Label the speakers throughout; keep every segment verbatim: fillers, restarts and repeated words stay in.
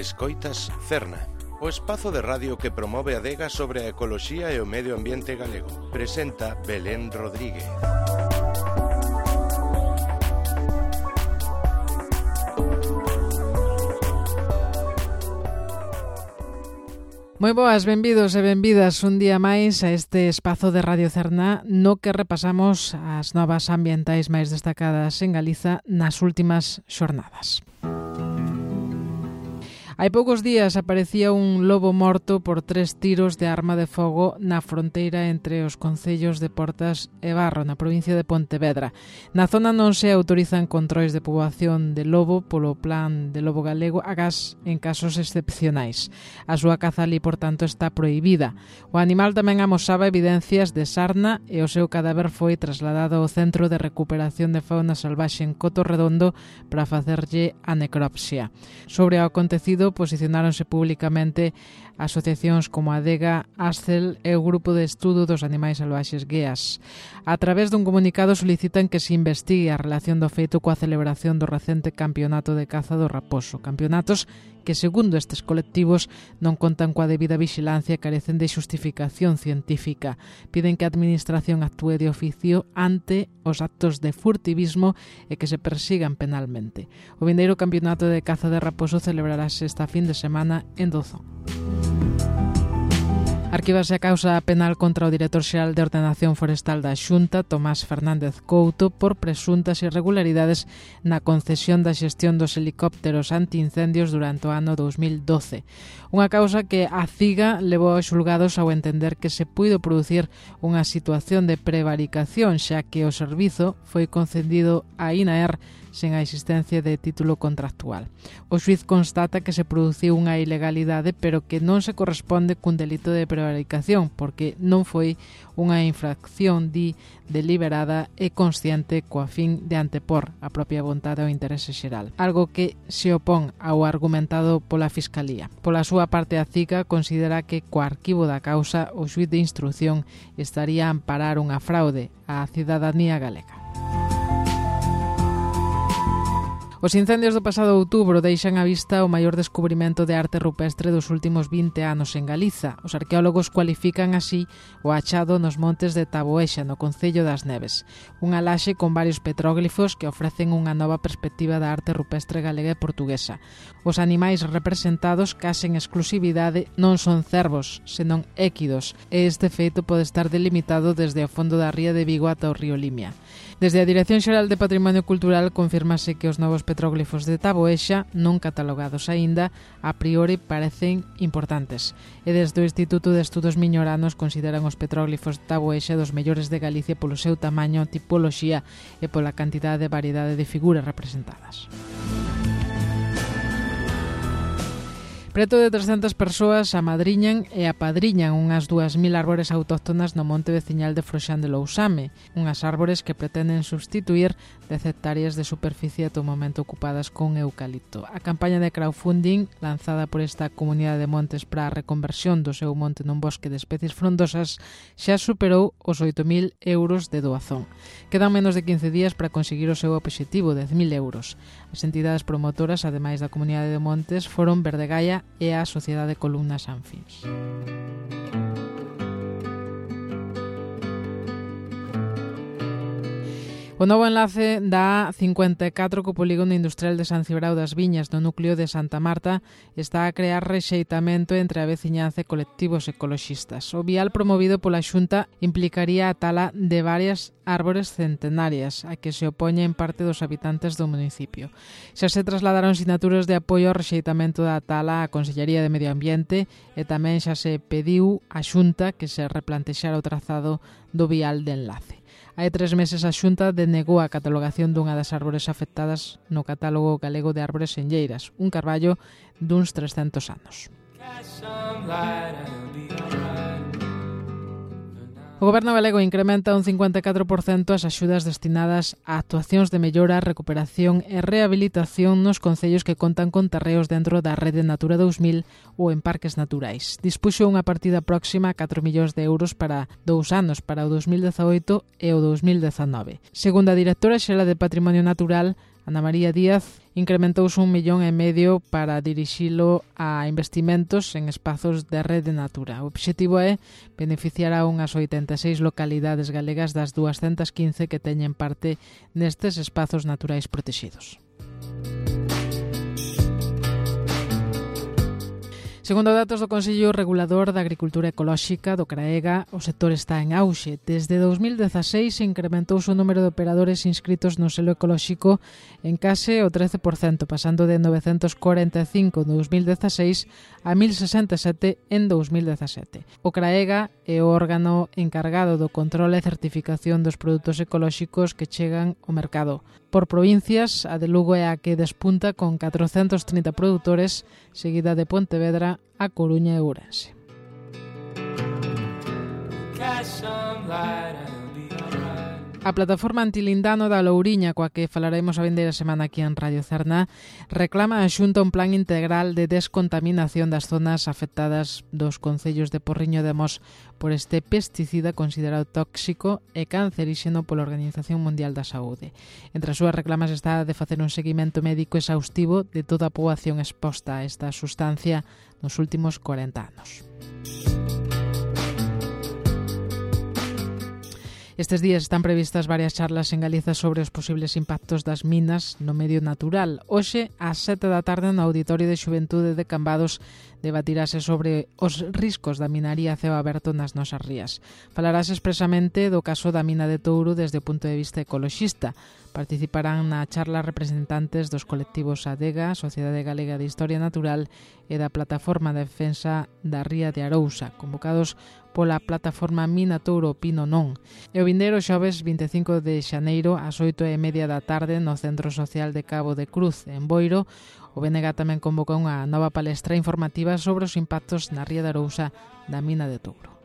Speaker 1: Escoitas Cerna, o espazo de radio que promove a adega sobre a ecoloxía e o medio ambiente galego. Presenta Belén Rodríguez.
Speaker 2: Moi boas, benvidos e benvidas un día máis a este espazo de Radio Cerna no que repasamos as novas ambientais máis destacadas en Galiza nas últimas xornadas. Hai poucos días aparecía un lobo morto por tres tiros de arma de fogo na fronteira entre os concellos de Portas e Barro, na provincia de Pontevedra. Na zona non se autorizan controis de poboación de lobo polo plan de lobo galego agás en casos excepcionais. A súa caza ali, por tanto, está prohibida. O animal tamén amosaba evidencias de sarna e o seu cadáver foi trasladado ao Centro de Recuperación de Fauna Salvaxe en Coto Redondo para facerlle a necropsia. Sobre o acontecido, posicionáronse públicamente asociacións como a Adega, Ascel e o Grupo de Estudo dos Animais Salvaxes GEAS. A través dun comunicado solicitan que se investigue a relación do feito coa celebración do recente Campeonato de Caza do Raposo. Campeonatos que, segundo estes colectivos, non contan coa debida vixilancia e carecen de xustificación científica. Piden que a Administración actúe de oficio ante os actos de furtivismo e que se persigan penalmente. O vindeiro Campeonato de Caza de Raposo celebrarase esta fin de semana en Dozón. Arquívase a causa penal contra o director xeral de Ordenación Forestal da Xunta, Tomás Fernández Couto, por presuntas irregularidades na concesión da xestión dos helicópteros antiincendios durante o ano dous mil doce. Unha causa que a CIGA levou aos xulgados ao entender que se puido producir unha situación de prevaricación, xa que o servizo foi concedido a INAER sen a existencia de título contractual. O xuiz constata que se produciu unha ilegalidade, pero que non se corresponde cun delito de prevaricación, porque non foi unha infracción, di, deliberada e consciente coa fin de antepor a propia vontade ao interese xeral, algo que se opón ao argumentado pola Fiscalía. Pola súa parte, a CIGA considera que co arquivo da causa o xuiz de instrución estaría a amparar unha fraude á cidadanía galega. Os incendios do pasado outubro deixan á vista o maior descubrimento de arte rupestre dos últimos vinte anos en Galiza. Os arqueólogos cualifican así o achado nos montes de Taboexa, no concello das Neves. Unha laxe con varios petróglifos que ofrecen unha nova perspectiva da arte rupestre galega e portuguesa. Os animais representados, case en exclusividade, non son cervos, senón équidos, e este feito pode estar delimitado desde o fondo da ría de Vigo ata o río Limia. Desde a Dirección Xeral de Patrimonio Cultural confirmase que os novos petróglifos de Taboexa, non catalogados aínda, a priori parecen importantes. E desde o Instituto de Estudos Miñoranos consideran os petróglifos de Taboexa dos mellores de Galicia polo seu tamaño, tipoloxía e pola cantidade e variedade de figuras representadas. Preto de trescentas persoas amadriñan e apadriñan unhas dúas mil árbores autóctonas no monte veciñal de Froxán de Lousame, unhas árbores que pretenden substituir dez hectáreas de superficie ata o momento ocupadas con eucalipto. A campaña de crowdfunding lanzada por esta comunidade de montes para a reconversión do seu monte nun bosque de especies frondosas xa superou os oito mil euros de doazón. Quedan menos de quince días para conseguir o seu obxectivo, dez mil euros. As entidades promotoras, ademais da comunidade de montes, foron Verdegaia e a Sociedade Columnas Anfins. O novo enlace da A cincuenta e catro co polígono industrial de San Cibrao das Viñas no núcleo de Santa Marta está a crear rexeitamento entre a veciñanza e colectivos ecoloxistas. O vial promovido pola Xunta implicaría a tala de varias árbores centenarias, a que se opoña en parte dos habitantes do municipio. Xa se trasladaron sinaturas de apoio ao rexeitamento da tala á Consellería de Medio Ambiente e tamén xa se pediu á Xunta que se replantexara o trazado do vial de enlace. Hai tres meses a Xunta denegou a catalogación dunha das árbores afectadas no catálogo galego de árbores senlleiras, un carballo duns trescentos anos. O Goberno galego incrementa un cincuenta e catro por cento as axudas destinadas a actuacións de mellora, recuperación e rehabilitación nos concellos que contan con terreos dentro da rede Natura dous mil ou en parques naturais. Dispuxo unha partida próxima a catro millóns de euros para dous anos, para o dos mil dezaoito e o dos mil dezanove. Segundo a directora xeral de Patrimonio Natural, Ana María Díaz incrementouse un millón e medio para dirixilo a investimentos en espazos de rede natura. O obxectivo é beneficiar a unhas oitenta e seis localidades galegas das doscientas quince que teñen parte nestes espazos naturais protegidos. Segundo datos do Consello Regulador da Agricultura Ecolóxica do CRAEGA, o sector está en auxe. Desde dos mil dezaseis incrementouse o número de operadores inscritos no selo ecolóxico en case o trece por cento, pasando de novecentos corenta e cinco en dos mil dezaseis a mil sesenta e sete en dos mil dezasete. O CRAEGA é o órgano encargado do control e certificación dos produtos ecolóxicos que chegan ao mercado. Por provincias, a de Lugo é a que despunta con catrocentos trinta produtores, seguida de Pontevedra, A Coruña e Ourense. A plataforma antilindano da Louriña, coa que falaremos a vindeira semana aquí en Radio Cerna, reclama a Xunta un plan integral de descontaminación das zonas afectadas dos concellos de Porriño de Mos por este pesticida considerado tóxico e canceríxeno pola Organización Mundial da Saúde. Entre as súas reclamas está de facer un seguimento médico exhaustivo de toda a poboación exposta a esta sustancia nos últimos corenta anos. Estes días están previstas varias charlas en Galiza sobre os posibles impactos das minas no medio natural. Hoxe, ás sete da tarde, no Auditorio de Xuventude de Cambados, debatirase sobre os riscos da minaría a ceo aberto nas nosas rías. Falarase expresamente do caso da mina de Touro desde o punto de vista ecoloxista. Participarán na charla representantes dos colectivos ADEGA, Sociedade Galega de Historia Natural, e da Plataforma de Defensa da Ría de Arousa, convocados pola plataforma Mina Touro Pino Non. E o vindeiro xoves vinte e cinco de xaneiro ás oito e media da tarde no Centro Social de Cabo de Cruz, en Boiro, o B N G tamén convocou unha nova palestra informativa sobre os impactos na Ría de Arousa da mina de Touro.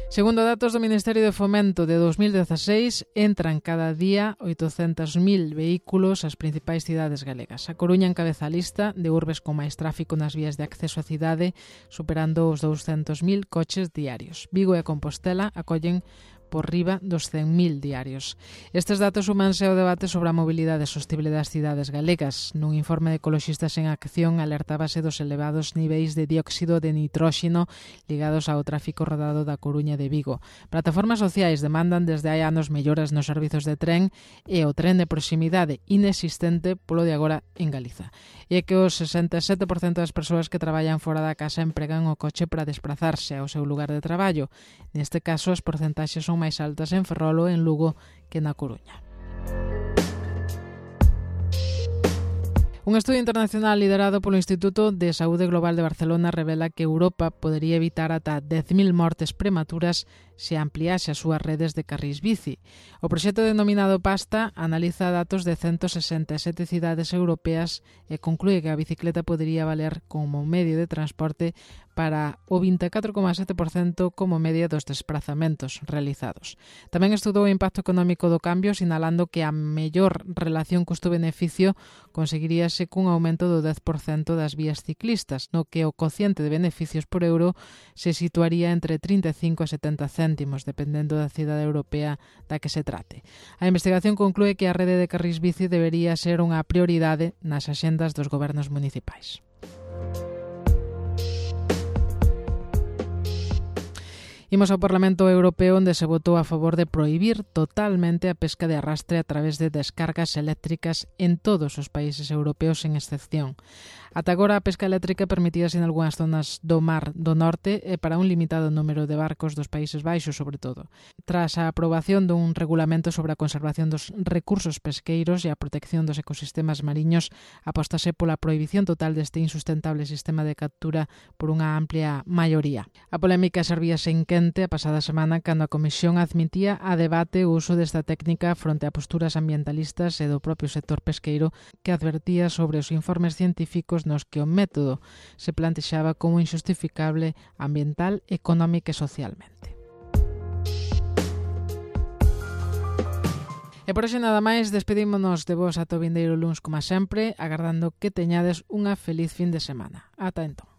Speaker 2: Segundo datos do Ministerio de Fomento de dos mil dezaseis, entran cada día oitocentos mil vehículos ás principais cidades galegas. A Coruña encabeza a lista de urbes con máis tráfico nas vías de acceso á cidade, superando os douscentos mil coches diarios. Vigo e Compostela acollen por riba dos cen mil diarios. Estes datos sumanse ao debate sobre a mobilidade sostible das cidades galegas. Nun informe de Ecoloxistas en Acción alertábase dos elevados niveis de dióxido de nitróxeno ligados ao tráfico rodado da Coruña de Vigo. Plataformas sociais demandan desde hai anos melloras nos servizos de tren e o tren de proximidade inexistente polo de agora en Galiza. E é que o sesenta e sete por cento das persoas que traballan fora da casa empregan o coche para desplazarse ao seu lugar de traballo. Neste caso, as porcentaxes son máis altas en Ferrol ou en Lugo que na Coruña. Un estudio internacional liderado polo Instituto de Saúde Global de Barcelona revela que Europa podería evitar ata dez mil mortes prematuras se ampliase as súas redes de carrís bici. O proxecto denominado PASTA analiza datos de ciento sesenta e sete cidades europeas e conclúe que a bicicleta podería valer como medio de transporte para o vinte e catro coma sete por cento como media dos desplazamentos realizados. Tamén estudou o impacto económico do cambio, sinalando que a mellor relación custo-beneficio conseguiríase cun aumento do dez por cento das vías ciclistas, no que o cociente de beneficios por euro se situaría entre trinta e cinco e setenta céntimos, dependendo da cidade europea da que se trate. A investigación conclúe que a rede de carrís bici debería ser unha prioridade nas axendas dos gobernos municipais. Imos ao Parlamento Europeo, onde se votou a favor de prohibir totalmente a pesca de arrastre a través de descargas eléctricas en todos os países europeos, sen excepción. Ata agora a pesca eléctrica permitíase en algunhas zonas do mar do norte e para un limitado número de barcos dos Países Baixos, sobre todo. Tras a aprobación dun regulamento sobre a conservación dos recursos pesqueiros e a protección dos ecosistemas mariños, apóstase pola prohibición total deste insustentable sistema de captura por unha amplia maioría. A polémica servíase en quente a pasada semana cando a Comisión admitía a debate o uso desta técnica fronte a posturas ambientalistas e do propio sector pesqueiro, que advertía sobre os informes científicos nos que o método se plantexaba como injustificable ambiental, económica e socialmente. E por hoxe nada máis, despedímonos de vos ata o vindeiro luns como sempre, agardando que teñades unha feliz fin de semana. Ata entón.